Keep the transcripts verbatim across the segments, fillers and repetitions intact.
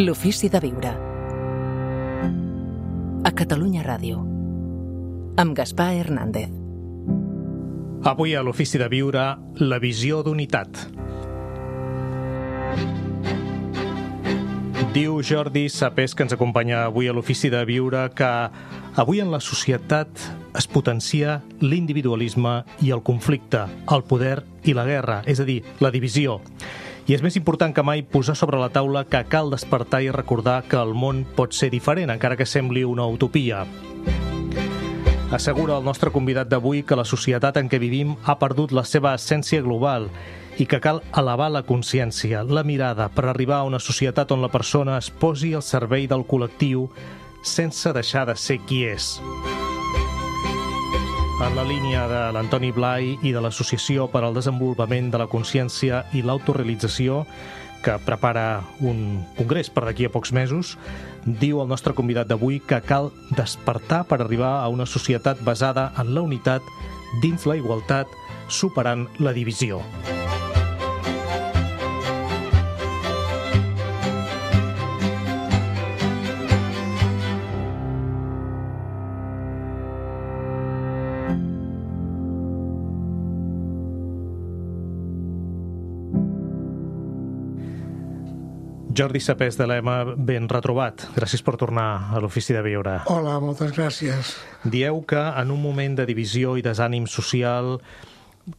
L'ofici de viure. A Catalunya Ràdio. Amb Gaspar Hernández. Avui a l'ofici de viure, la visió d'unitat. Diu Jordi Sapés, que ens acompanya avui a l'ofici de viure, que avui en la societat es potencia l'individualisme i el conflicte, el poder i la guerra, és a dir, la divisió. I és més important que mai posar sobre la taula que cal despertar i recordar que el món pot ser diferent, encara que sembli una utopia. Assegura el nostre convidat d'avui que la societat en què vivim ha perdut la seva essència global i que cal elevar la consciència, la mirada, per arribar a una societat on la persona es posi al servei del col·lectiu sense deixar de ser qui és. En la línia de l'Antoni Blai i de l'Associació per al Desenvolupament de la Consciència i l'Autorealització, que prepara un congrés per d'aquí a pocs mesos, diu el nostre convidat d'avui que cal despertar per arribar a una societat basada en la unitat dins la igualtat, superant la divisió. Jordi Sapés de l'E M A, ben retrobat. Gràcies per tornar a l'Ofici de Viure. Hola, moltes gràcies. Dieu que en un moment de divisió i desànim social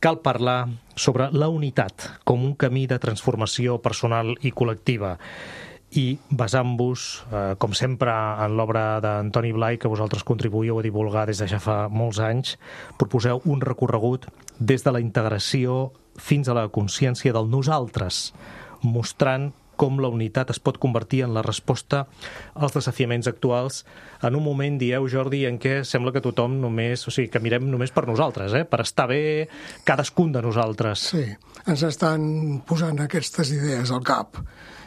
cal parlar sobre la unitat com un camí de transformació personal i col·lectiva. I basant-vos, eh, com sempre, en l'obra d'Antoni Blai, que vosaltres contribuïu a divulgar des de ja fa molts anys, proposeu un recorregut des de la integració fins a la consciència del nosaltres, mostrant com la unitat es pot convertir en la resposta als desafiaments actuals en un moment, dieu, Jordi, en què sembla que tothom només, o sigui, que mirem només per nosaltres, eh? per estar bé cadascun de nosaltres. Sí, ens estan posant aquestes idees al cap,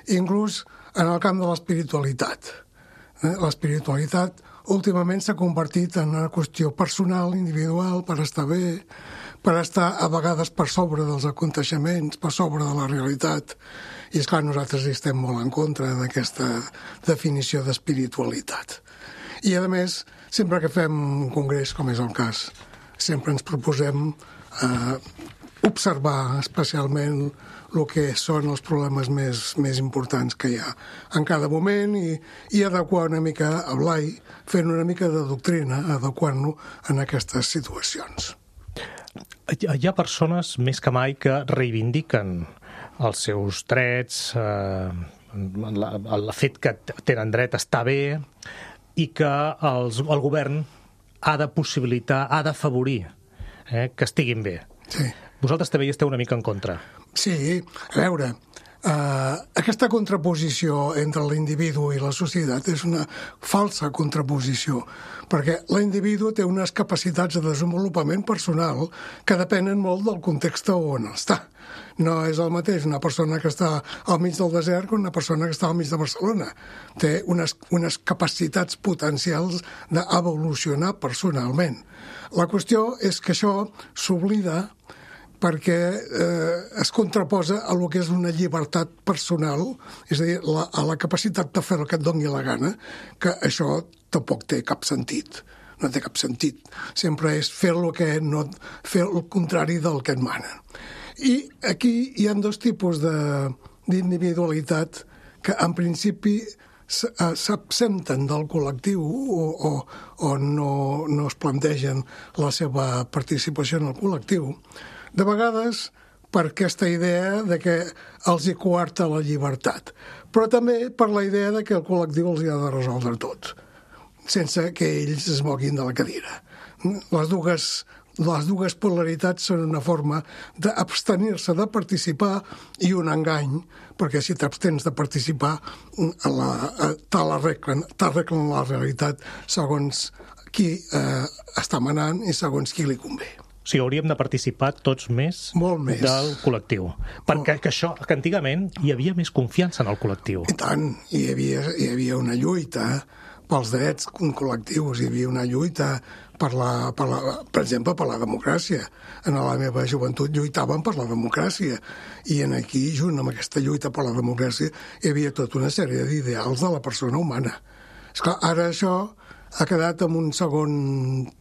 inclús en el camp de l'espiritualitat. L'espiritualitat últimament s'ha convertit en una qüestió personal, individual, per estar bé, per estar a vegades per sobre dels aconteixements, per sobre de la realitat. I esclar, nosaltres hi estem molt en contra d'aquesta definició d'espiritualitat. I a més, sempre que fem un congrés, com és el cas, sempre ens proposem eh, observar especialment el que són els problemes més, més importants que hi ha en cada moment i, i adequar una mica a Blai, fent una mica de doctrina, adequant-lo en aquestes situacions. Hi ha persones més que mai que reivindiquen els seus drets, eh, el fet que tenen dret a estar bé i que els, el govern ha de possibilitar, ha d'afavorir eh, que estiguin bé. Sí. Vosaltres també hi esteu una mica en contra. Sí, a veure, Uh, aquesta contraposició entre l'individu i la societat és una falsa contraposició, perquè l'individu té unes capacitats de desenvolupament personal que depenen molt del context on està. No és el mateix una persona que està al mig del desert que una persona que està al mig de Barcelona. Té unes, unes capacitats potencials d'evolucionar personalment. La qüestió és que això s'oblida perquè eh, es contraposa a lo que és una llibertat personal, és a dir, la, a la capacitat de fer el que et doni la gana, que això tampoc té cap sentit. No té cap sentit. Sempre és fer el que no, fer el contrari del que et manen. I aquí hi ha dos tipus de, d'individualitat que en principi s'absenten del col·lectiu o, o, o no, no es plantegen la seva participació en el col·lectiu, de vegades per aquesta idea de que els hi coarta la llibertat, però també per la idea de que el col·lectiu els hi ha de resoldre tot, sense que ells es moguin de la cadira. Les dues, les dues polaritats són una forma d'abstenir-se de participar i un engany, perquè si t'abstens de participar t'arreglen, t'arreglen la realitat segons qui eh, està manant i segons qui li convé. O sigui, hauríem de participar tots més, més. del col·lectiu. Perquè que això, que antigament hi havia més confiança en el col·lectiu. I tant, hi havia, hi havia una lluita pels drets col·lectius, hi havia una lluita per, la, per, la, per exemple, per la democràcia. En la meva joventut lluitaven per la democràcia i en aquí, junt amb aquesta lluita per la democràcia, hi havia tota una sèrie d'ideals de la persona humana. Esclar, ara això ha quedat en un segon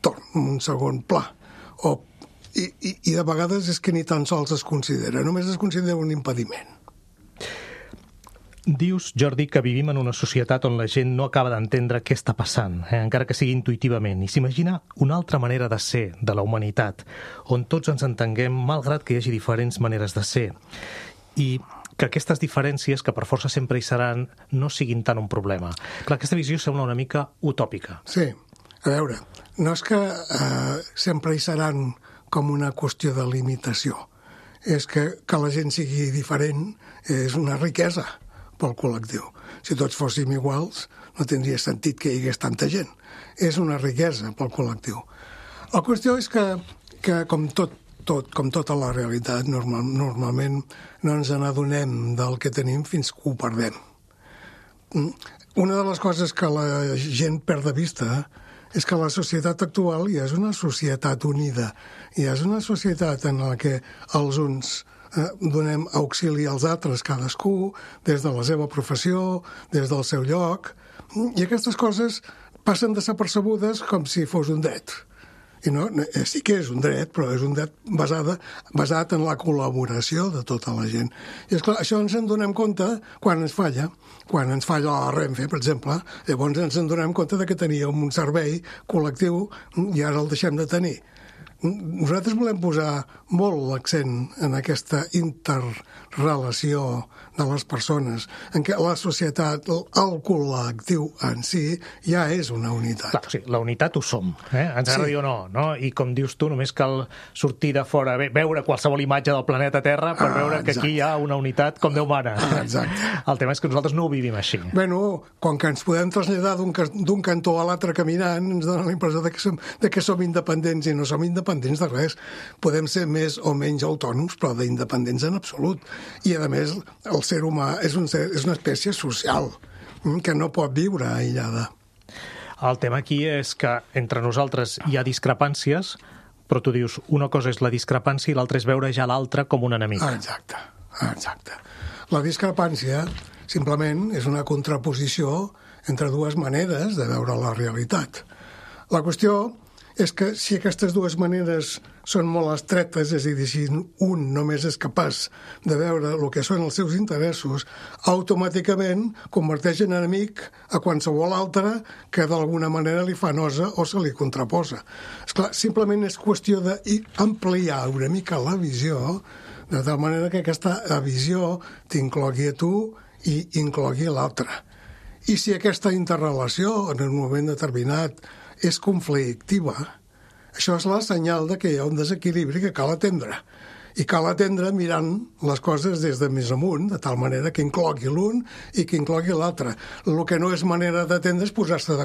torn, en un segon pla. O, i, i, I de vegades és que ni tan sols es considera, només es considera un impediment. Dius, Jordi, que vivim en una societat on la gent no acaba d'entendre què està passant, eh? encara que sigui intuïtivament, i s'imagina una altra manera de ser de la humanitat, on tots ens entenguem malgrat que hi hagi diferents maneres de ser, i que aquestes diferències, que per força sempre hi seran, no siguin tant un problema. Clar, aquesta visió sembla una mica utòpica. Sí, a veure, no és que eh, sempre hi seran com una qüestió de limitació, és que que la gent sigui diferent és una riquesa pel col·lectiu. Si tots fóssim iguals, no tindria sentit que hi hagués tanta gent. És una riquesa pel col·lectiu. La qüestió és que, que com, tot, tot, com tota la realitat, normal, normalment no ens n'adonem del que tenim fins que ho perdem. Una de les coses que la gent perd de vista és que la societat actual ja és una societat unida, ja és una societat en la que els uns donem auxili als altres, cadascú, des de la seva professió, des del seu lloc, i aquestes coses passen desapercebudes com si fos un dret. I no, sí que és un dret, però és un dret basada, basat en la col·laboració de tota la gent. I esclar, això ens en donem compte quan ens falla, quan ens falla la Renfe, per exemple, llavors ens en donem compte de que teníem un servei col·lectiu i ara el deixem de tenir. Nosaltres volem posar molt l'accent en aquesta interrelació de les persones, en què la societat, el col·lectiu en si, ja és una unitat. Clar, o sigui, la unitat ho som, eh? Ens agrada dir o no, no? I com dius tu, només cal sortir de fora, veure qualsevol imatge del planeta Terra per ah, veure que exacte. Aquí hi ha una unitat com Déu mana. Ah, exacte. El tema és que nosaltres no ho vivim així. Bueno, quan que ens podem traslladar d'un cantó a l'altre caminant, ens dona la impressió de que, som, de que som independents, i no som independents de res. Podem ser més o menys autònoms, però d'independents en absolut. I, a més, el ser humà és, un ser, és una espècie social que no pot viure aïllada. El tema aquí és que entre nosaltres hi ha discrepàncies, però tu dius una cosa és la discrepància i l'altra és veure ja l'altre com un enemic. Exacte, exacte. La discrepància simplement és una contraposició entre dues maneres de veure la realitat. La qüestió és que si aquestes dues maneres són molt estretes, és a dir, si un només és capaç de veure el que són els seus interessos, automàticament converteix en enemic a qualsevol altre que d'alguna manera li fa nosa o se li contraposa. Esclar, simplement és qüestió d'ampliar una mica la visió, de tal manera que aquesta visió t'inclogui a tu i inclogui a l'altre. I si aquesta interrelació en un moment determinat és conflictiva, això és la senyal de que hi ha un desequilibri que cal atendre. I cal atendre mirant les coses des de més amunt, de tal manera que inclogui l'un i que inclogui l'altre. El que no és manera d'atendre és posar-se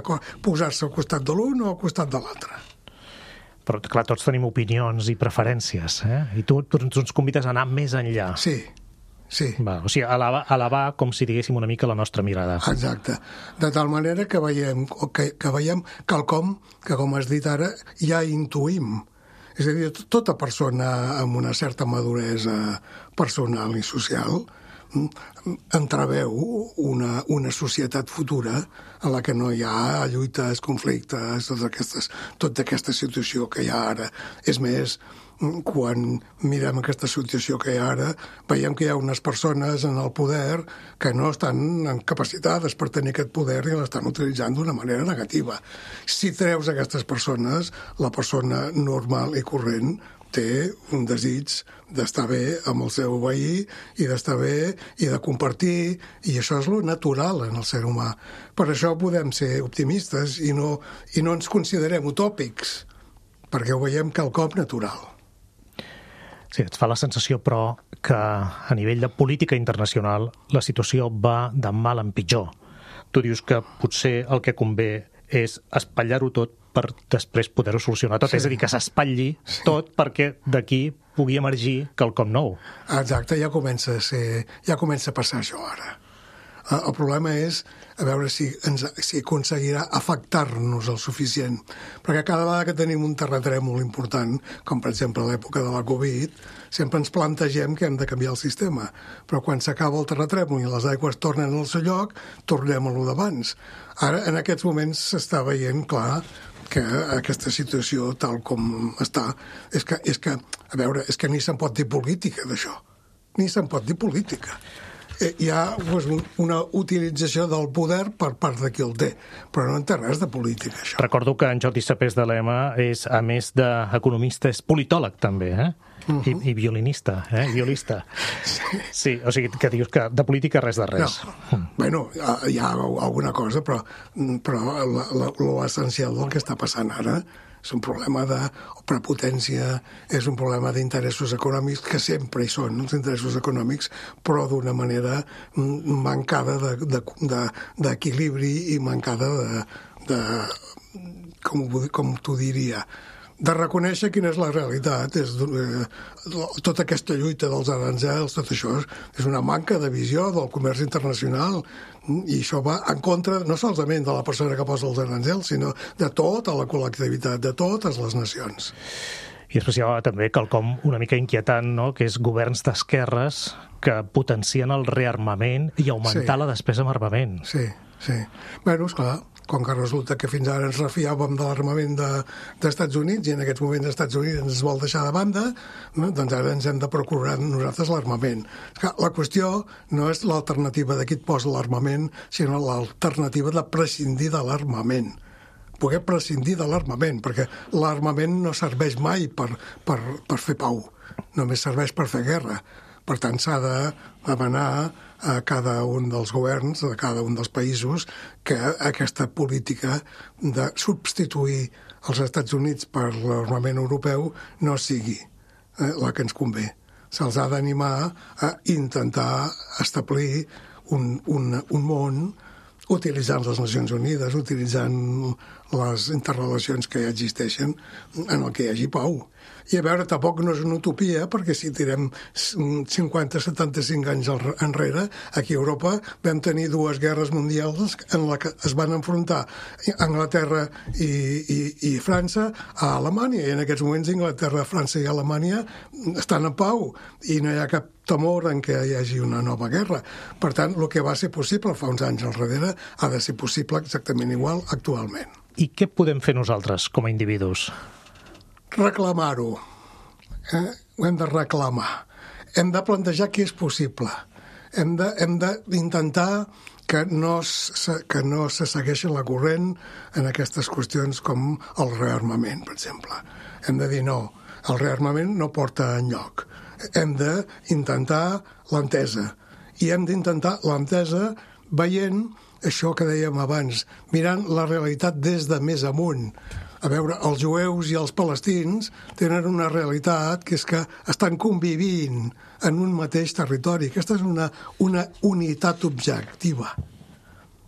posar-se al costat de l'un o al costat de l'altre. Però, clar, tots tenim opinions i preferències, eh? I tu, tu ens convides a anar més enllà. Sí. Sí. Va, o sigui, elevar, elevar com si diguéssim una mica la nostra mirada. Exacte. De tal manera que veiem, que, que veiem quelcom que, com has dit ara, ja intuïm. És a dir, tota persona amb una certa maduresa personal i social entreveu una, una societat futura en la que no hi ha lluites, conflictes, totes aquestes, tota aquesta situació que hi ha ara. És més, quan mirem aquesta situació que hi ha ara, veiem que hi ha unes persones en el poder que no estan capacitades per tenir aquest poder i l'estan utilitzant d'una manera negativa. Si treus aquestes persones, la persona normal i corrent té un desig d'estar bé amb el seu veí i d'estar bé i de compartir, i això és lo natural en el ser humà. Per això podem ser optimistes i no, i no ens considerem utòpics, perquè ho veiem quelcom natural. Sí, et fa la sensació, però, que a nivell de política internacional la situació va de mal en pitjor. Tu dius que potser el que convé és espatllar-ho tot per després poder-ho solucionar tot. Sí. És a dir, que s'espatlli sí. tot perquè d'aquí pugui emergir quelcom nou. Exacte, ja comença a ser, ja comença a passar això ara. El problema és a veure si, ens, si aconseguirà afectar-nos el suficient. Perquè cada vegada que tenim un terratrèmol important, com per exemple a l'època de la Covid, sempre ens plantegem que hem de canviar el sistema. Però quan s'acaba el terratrèmol i les aigües tornen al seu lloc, tornem a lo d'abans. Ara, en aquests moments, s'està veient clar que aquesta situació, tal com està, és que, és que a veure, és que ni se'n pot dir política d'això. Ni se'n pot dir política. Hi ha pues, una utilització del poder per part de qui el té, però no en té res de política, això. Recordo que en Jordi Sapés de l'E M A és, a més d'economista, és politòleg també, eh? Uh-huh. I, i violinista, eh? Violista. Sí. Sí, o sigui, que dius que de política res de res. No. Mm. Bueno, hi ha alguna cosa, però, però l'essencial del que està passant ara és un problema de prepotència, és un problema d'interessos econòmics, que sempre hi són, els interessos econòmics, però d'una manera mancada d'equilibri de, de, i mancada de, de com, com t'ho diria, de reconèixer quina és la realitat. És, eh, tota aquesta lluita dels aranzels, tot això és una manca de visió del comerç internacional, i això va en contra no solament de la persona que posa els aranzels, sinó de tota la col·lectivitat, de totes les nacions. I després hi ha també quelcom una mica inquietant, no?, que és governs d'esquerres que potencien el rearmament i augmentar sí. la despesa en armament. Sí, sí. Bé, esclar, com que resulta que fins ara ens refiàvem de l'armament de, d'Estats Units i en aquests moments els Estats Units ens vol deixar de banda, no? Doncs ara ens hem de procurar nosaltres l'armament. La qüestió no és l'alternativa de qui et posa l'armament, sinó l'alternativa de prescindir de l'armament. Poder prescindir de l'armament, perquè l'armament no serveix mai per, per, per fer pau, només serveix per fer guerra. Per tant, s'ha de demanar a cada un dels governs, a cada un dels països, que aquesta política de substituir els Estats Units per l'armament europeu no sigui eh, la que ens convé. Se'ls ha d'animar a intentar establir un, un, un món utilitzant les Nacions Unides, utilitzant les interrelacions que ja existeixen en el que hi hagi pau. I a veure, tampoc no és una utopia, perquè si tirem cinquanta a setanta-cinc anys enrere, aquí a Europa vam tenir dues guerres mundials en la que es van enfrontar Anglaterra i, i, i França a Alemanya, i en aquests moments Anglaterra, França i Alemanya estan en pau, i no hi ha cap temor en què hi hagi una nova guerra. Per tant, el que va ser possible fa uns anys enrere ha de ser possible exactament igual actualment. I què podem fer nosaltres com a individus? Reclamar-ho. Eh? Ho hem de reclamar. Hem de plantejar què és possible. Hem de, hem d'intentar que no, se, que no se segueixi la corrent en aquestes qüestions com el rearmament, per exemple. Hem de dir no, el rearmament no porta enlloc. Hem d'intentar l'entesa. I hem d'intentar l'entesa veient això que dèiem abans, mirant la realitat des de més amunt. A veure, els jueus i els palestins tenen una realitat que és que estan convivint en un mateix territori. Aquesta és una, una unitat objectiva.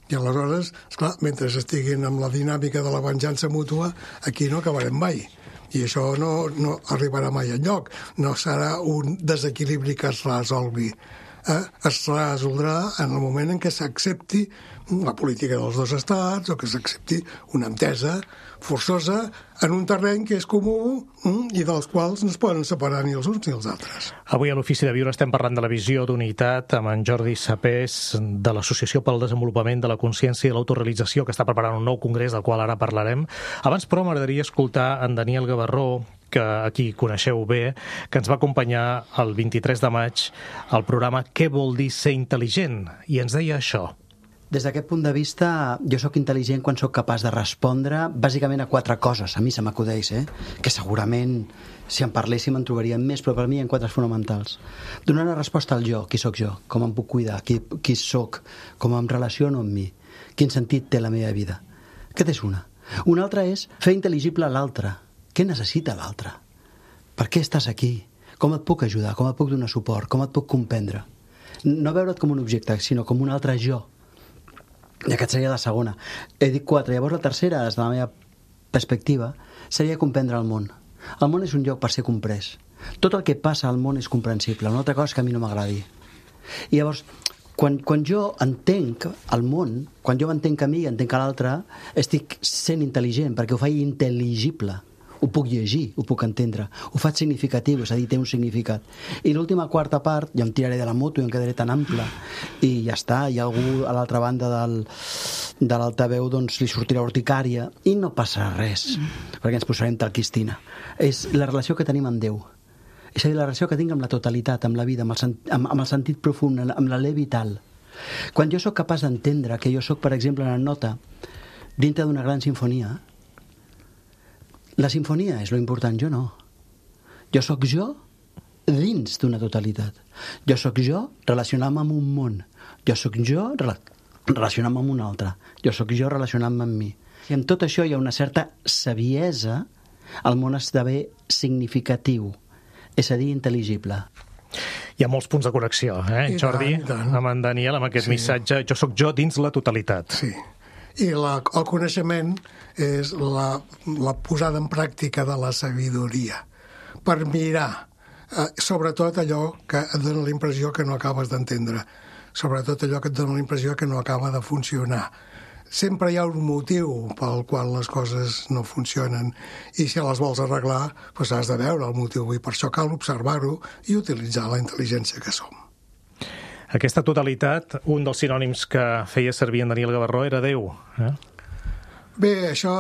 I aleshores, esclar, mentre estiguin amb la dinàmica de la venjança mútua, aquí no acabarem mai. I això no, no arribarà mai enlloc. No serà un desequilibri que es resolgui. Eh? Es resoldrà en el moment en què s'accepti la política dels dos estats o que s'accepti una entesa forçosa en un terreny que és comú i dels quals no es poden separar ni els uns ni els altres. Avui a l'Ofici de Viure estem parlant de la visió d'unitat amb en Jordi Sapés de l'Associació pel Desenvolupament de la Consciència i l'Autorealització, que està preparant un nou congrés del qual ara parlarem. Abans, però, m'agradaria escoltar en Daniel Gavarró, que aquí coneixeu bé, que ens va acompanyar el vint-i-tres de maig al programa Què vol dir ser intel·ligent? I ens deia això. Des d'aquest punt de vista, jo sóc intel·ligent quan sóc capaç de respondre bàsicament a quatre coses, a mi se m'acudeix, eh? Que segurament, si en parléssim, en trobaríem més, però per mi hi ha quatre fonamentals. Donar una resposta al jo, qui sóc jo, com em puc cuidar, qui, qui sóc, com em relaciono amb mi, quin sentit té la meva vida. Aquesta és una. Una altra és fer intel·ligible l'altre. Què necessita l'altre? Per què estàs aquí? Com et puc ajudar? Com et puc donar suport? Com et puc comprendre? No veure't com un objecte, sinó com un altre jo. I aquesta seria la segona. He dit quatre. Llavors la tercera, des de la meva perspectiva, seria comprendre el món. El món és un lloc per ser comprès. Tot el que passa al món és comprensible. Una altra cosa és que a mi no m'agradi. I llavors, Quan, quan jo entenc el món, quan jo m'entenc a mi i entenc a l'altre, estic sent intel·ligent, perquè ho faig intel·ligible. Ho puc llegir, ho puc entendre, ho faig significatiu, és a dir, té un significat. I l'última quarta part, jo em tiraré de la moto i em quedaré tan ample, i ja està, hi ha algú a l'altra banda del, de l'altaveu, doncs li sortirà urticària, i no passarà res, perquè ens posarem talquistina. És la relació que tenim amb Déu. És a dir, la relació que tinc amb la totalitat, amb la vida, amb el, sent, amb, amb el sentit profund, amb l'alè vital. Quan jo sóc capaç d'entendre que jo sóc, per exemple, una nota dintre d'una gran sinfonia, la sinfonia és lo important, jo no. Jo sóc jo dins d'una totalitat. Jo sóc jo relacionant-me amb un món. Jo sóc jo relacionant-me amb un altre. Jo sóc jo relacionant-me amb mi. I amb tot això hi ha una certa saviesa, el món esdevé significatiu, és a dir, intel·ligible. Hi ha molts punts de connexió, eh, I Jordi? tant, i tant. Amb en Daniel, amb aquest Sí. missatge, jo sóc jo dins la totalitat. Sí. I la, el coneixement és la, la posada en pràctica de la sabidoria per mirar, eh, sobretot allò que et dona la impressió que no acabes d'entendre, sobretot allò que et dona la impressió que no acaba de funcionar. Sempre hi ha un motiu pel qual les coses no funcionen i si les vols arreglar, doncs has de veure el motiu i per això cal observar-ho i utilitzar la intel·ligència que som. Aquesta totalitat, un dels sinònims que feia servir en Daniel Gavarró era Déu. Eh? Bé, això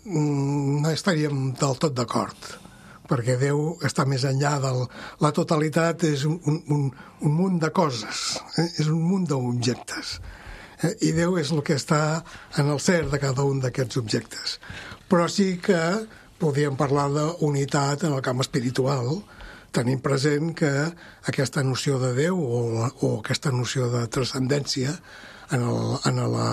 mm, no estaríem del tot d'acord, perquè Déu està més enllà del... La totalitat és un, un, un munt de coses, eh? És un munt d'objectes. Eh? I Déu és el que està en el ser de cada un d'aquests objectes. Però sí que podríem parlar d'unitat en el camp espiritual, tenint present que aquesta noció de Déu o, o aquesta noció de transcendència en, el, en la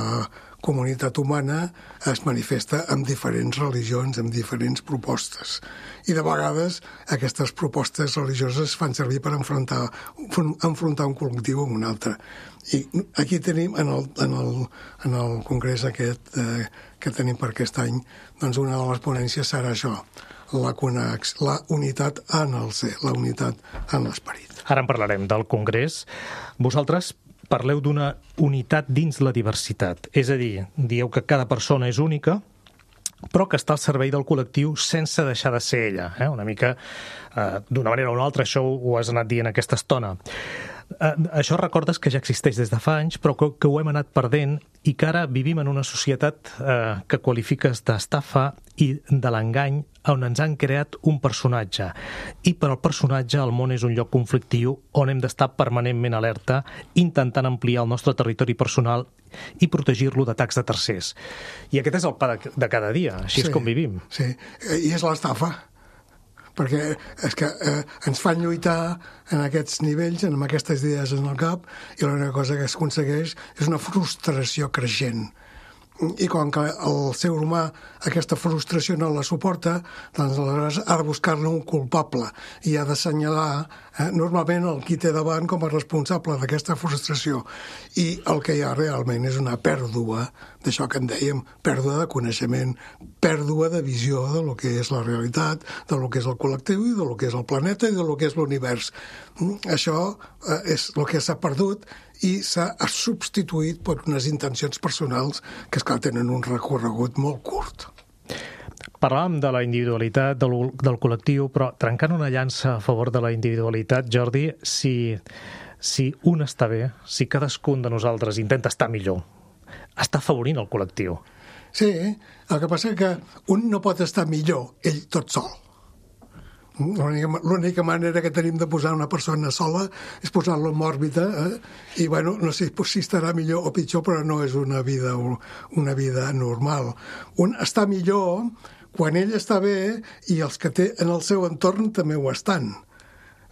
comunitat humana es manifesta en diferents religions, en diferents propostes. I de vegades aquestes propostes religioses fan servir per enfrontar, enfrontar un col·lectiu amb un altre. I aquí tenim, en el, en el, en el congrés aquest eh, que tenim per aquest any, doncs una de les ponències serà això, la, conex, la unitat en el ser, la unitat en l'esperit. Ara en parlarem del Congrés. Vosaltres parleu d'una unitat dins la diversitat. És a dir, dieu que cada persona és única, però que està al servei del col·lectiu sense deixar de ser ella. Eh? Una mica, eh, d'una manera o una altra, això ho has anat dient aquesta estona. Eh, això recordes que ja existeix des de fa anys, però que, que ho hem anat perdent i que ara vivim en una societat eh, que qualifiques d'estafa i de l'engany on ens han creat un personatge. I per al personatge el món és un lloc conflictiu on hem d'estar permanentment alerta, intentant ampliar el nostre territori personal i protegir-lo d'atacs de tercers. I aquest és el pa de, de cada dia, així sí, és com vivim. Sí, i és l'estafa, perquè és que eh, ens fan lluitar en aquests nivells, en aquestes idees en el cap, i l'única cosa que es aconsegueix és una frustració creixent. I com que el ser humà aquesta frustració no la suporta, doncs aleshores ha de buscar-ne un culpable i ha d'assenyalar eh, normalment el qui té davant com a responsable d'aquesta frustració. I el que hi ha realment és una pèrdua d'això que en dèiem, pèrdua de coneixement, pèrdua de visió de lo que és la realitat, de lo que és el col·lectiu i de lo que és el planeta i de lo que és l'univers. Això eh, és el que s'ha perdut i s'ha substituït per unes intencions personals que, esclar, tenen un recorregut molt curt. Parlàvem de la individualitat, del, del col·lectiu, però trencant una llança a favor de la individualitat, Jordi, si, si un està bé, si cadascun de nosaltres intenta estar millor, està afavorint el col·lectiu. Sí, el que passa és que un no pot estar millor ell tot sol. L'única manera que tenim de posar una persona sola és posar-lo en òrbita, eh? I bueno, no sé si estarà millor o pitjor, però no és una vida, una vida normal. Un està millor quan ell està bé i els que té en el seu entorn també ho estan.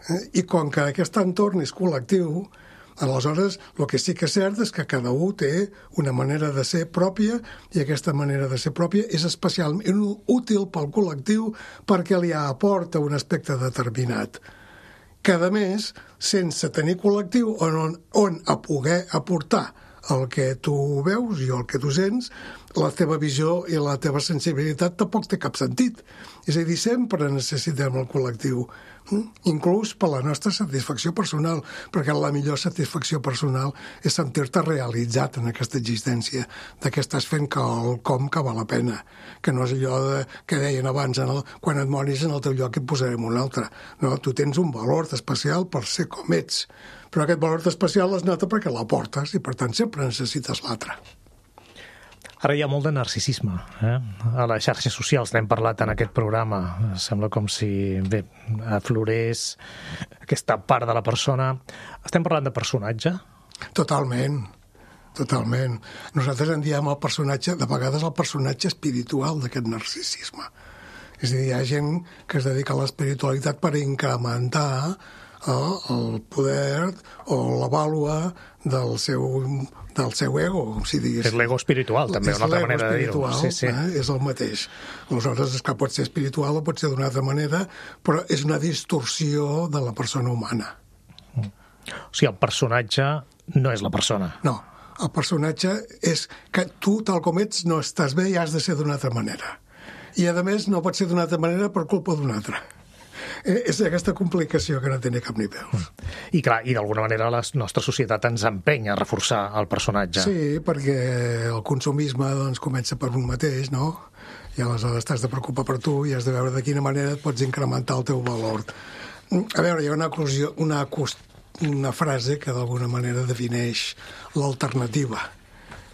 Eh? I com que aquest entorn és col·lectiu, aleshores el que sí que és cert és que cada un té una manera de ser pròpia i aquesta manera de ser pròpia és especialment útil pel col·lectiu perquè li aporta un aspecte determinat. Que, a més, sense tenir col·lectiu on, on a poder aportar el que tu veus i el que tu sents, la teva visió i la teva sensibilitat tampoc té cap sentit. És a dir, sempre necessitem el col·lectiu, inclús per la nostra satisfacció personal, perquè la millor satisfacció personal és sentir-te realitzat en aquesta existència, de que estàs fent quelcom que val la pena, que no és allò de, que deien abans, en el, quan et moris en el teu lloc et posarem un altre. No, tu tens un valor especial per ser com ets, però aquest valor especial es nota perquè l'aportes i per tant sempre necessites l'altre. Ara hi ha molt de narcisisme, eh? A les xarxes socials n'hem parlat en aquest programa. Sembla com si, bé, aflorés aquesta part de la persona. Estem parlant de personatge? Totalment, totalment. Nosaltres en diem el personatge, de vegades el personatge espiritual d'aquest narcisisme. És a dir, hi ha gent que es dedica a l'espiritualitat per incrementar el, el poder o la vàlua del seu... del seu ego, si digués. És l'ego espiritual, també, una altra manera de dir-ho. Sí, sí. Eh? És el mateix. Aleshores, és que pot ser espiritual o pot ser d'una altra manera, però és una distorsió de la persona humana. O sigui, el personatge no és la persona. No, el personatge és que tu, tal com ets, no estàs bé i has de ser d'una altra manera. I, a més, no pot ser d'una altra manera per culpa d'una altra. És aquesta complicació que no té ni cap ni peus. I clar, i d'alguna manera la nostra societat ens empenya a reforçar el personatge. Sí, perquè el consumisme doncs, comença per un mateix, no? I aleshores t'has de preocupar per tu i has de veure de quina manera et pots incrementar el teu valor. A veure, hi ha una, una, una frase que d'alguna manera defineix l'alternativa,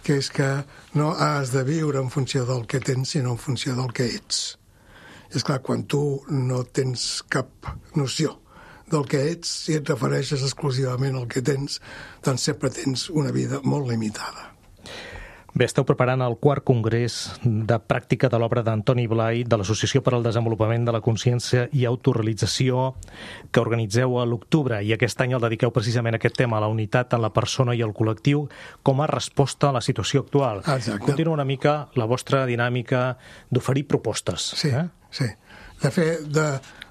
que és que no has de viure en funció del que tens, sinó en funció del que ets. És clar, quan tu no tens cap noció del que ets, si et refereixes exclusivament al que tens, doncs sempre tens una vida molt limitada. Bé, esteu preparant el quart congrés de pràctica de l'obra d'Antoni Blai de l'Associació per al Desenvolupament de la Consciència i Autorealització, que organitzeu a l'octubre, i aquest any el dediqueu precisament a aquest tema, a la unitat en la persona i el col·lectiu, com a resposta a la situació actual. Exacte. Continua una mica la vostra dinàmica d'oferir propostes. Sí, eh? sí. De fer, de,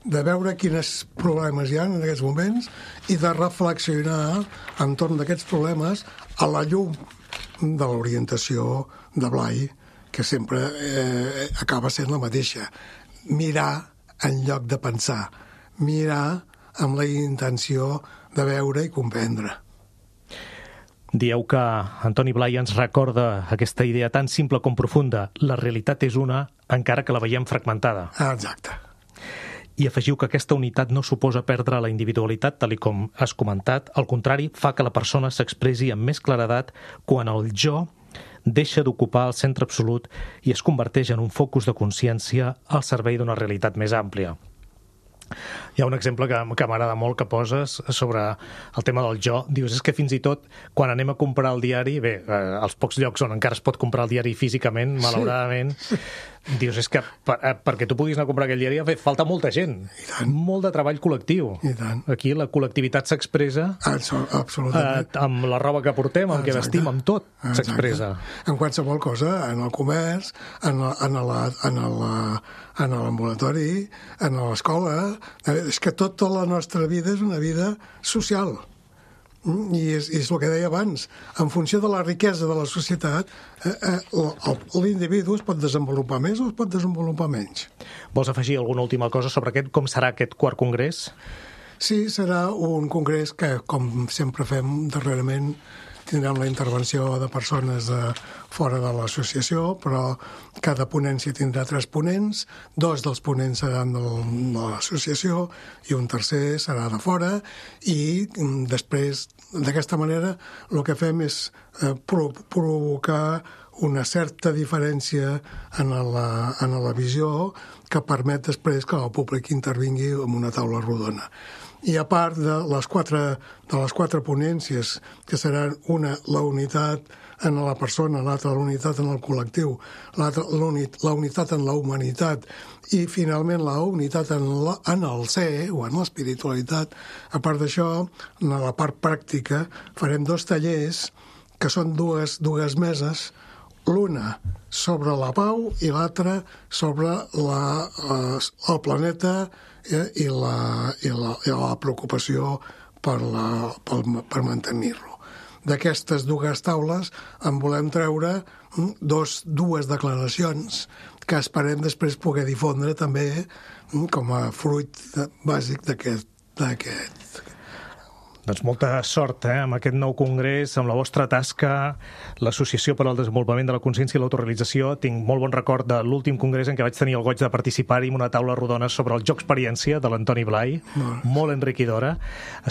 de veure quins problemes hi ha en aquests moments i de reflexionar entorn d'aquests problemes a la llum de l'orientació de Blai, que sempre eh, acaba sent la mateixa. Mirar en lloc de pensar. Mirar amb la intenció de veure i comprendre. Dieu que Antoni Blai ens recorda aquesta idea tan simple com profunda. La realitat és una, encara que la veiem fragmentada. Ah, exacte. I afegiu que aquesta unitat no suposa perdre la individualitat, tal i com has comentat. Al contrari, fa que la persona s'expressi amb més claredat quan el jo deixa d'ocupar el centre absolut i es converteix en un focus de consciència al servei d'una realitat més àmplia. Hi ha un exemple que, que m'agrada molt que poses sobre el tema del jo. Dius, és que fins i tot quan anem a comprar el diari, bé, eh, als pocs llocs on encara es pot comprar el diari físicament, malauradament, sí. Dius, és que per, eh, perquè tu puguis anar a comprar aquell diari bé, falta molta gent, molt de treball col·lectiu. I tant. Aquí la col·lectivitat s'expressa absolutament eh, amb la roba que portem, amb el que vestim, amb tot s'expressa. En qualsevol cosa, en el comerç, en, la, en, la, en, la, en l'ambulatori, en l'escola. És que tota la nostra vida és una vida social. I és, és el que deia abans. En funció de la riquesa de la societat, eh, eh, l'individu es pot desenvolupar més o es pot desenvolupar menys. Vols afegir alguna última cosa sobre aquest? Com serà aquest quart congrés? Sí, serà un congrés que, com sempre fem darrerament, tindrem la intervenció de persones de fora de l'associació, però cada ponència tindrà tres ponents, dos dels ponents seran de l'associació i un tercer serà de fora, i després, d'aquesta manera, el que fem és eh, provocar una certa diferència en la, en la visió que permet després que el públic intervingui en una taula rodona. I a part de les quatre, de les quatre ponències, que seran una, la unitat en la persona, l'altra, la unitat en el col·lectiu, l'altra, la unitat en la humanitat i, finalment, la unitat en, la, en el ser o en l'espiritualitat. A part d'això, en la part pràctica, farem dos tallers que són dues, dues meses, l'una sobre la pau i l'altra sobre la, eh, el planeta eh, i, la, i, la, i la preocupació per, la, per, per mantenir-lo. d'aquestes dues taules en volem treure dos, dues declaracions que esperem després poder difondre també com a fruit bàsic d'aquest d'aquest Doncs molta sort eh, amb aquest nou congrés, amb la vostra tasca, l'Associació per al Desenvolupament de la Consciència i l'Autorealització. Tinc molt bon record de l'últim congrés en què vaig tenir el goig de participar-hi amb una taula rodona sobre el joc experiència de l'Antoni Blai, molt, molt enriquidora.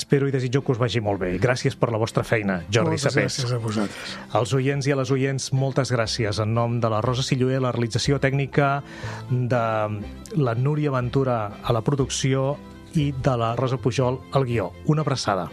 Espero i desitjo que us vagi molt bé. Gràcies per la vostra feina, Jordi Sapés. Moltes gràcies a vosaltres. Als oients i a les oients, moltes gràcies. En nom de la Rosa Silloé, la realització tècnica, de la Núria Ventura a la producció i de la Rosa Pujol al guió. Una abraçada.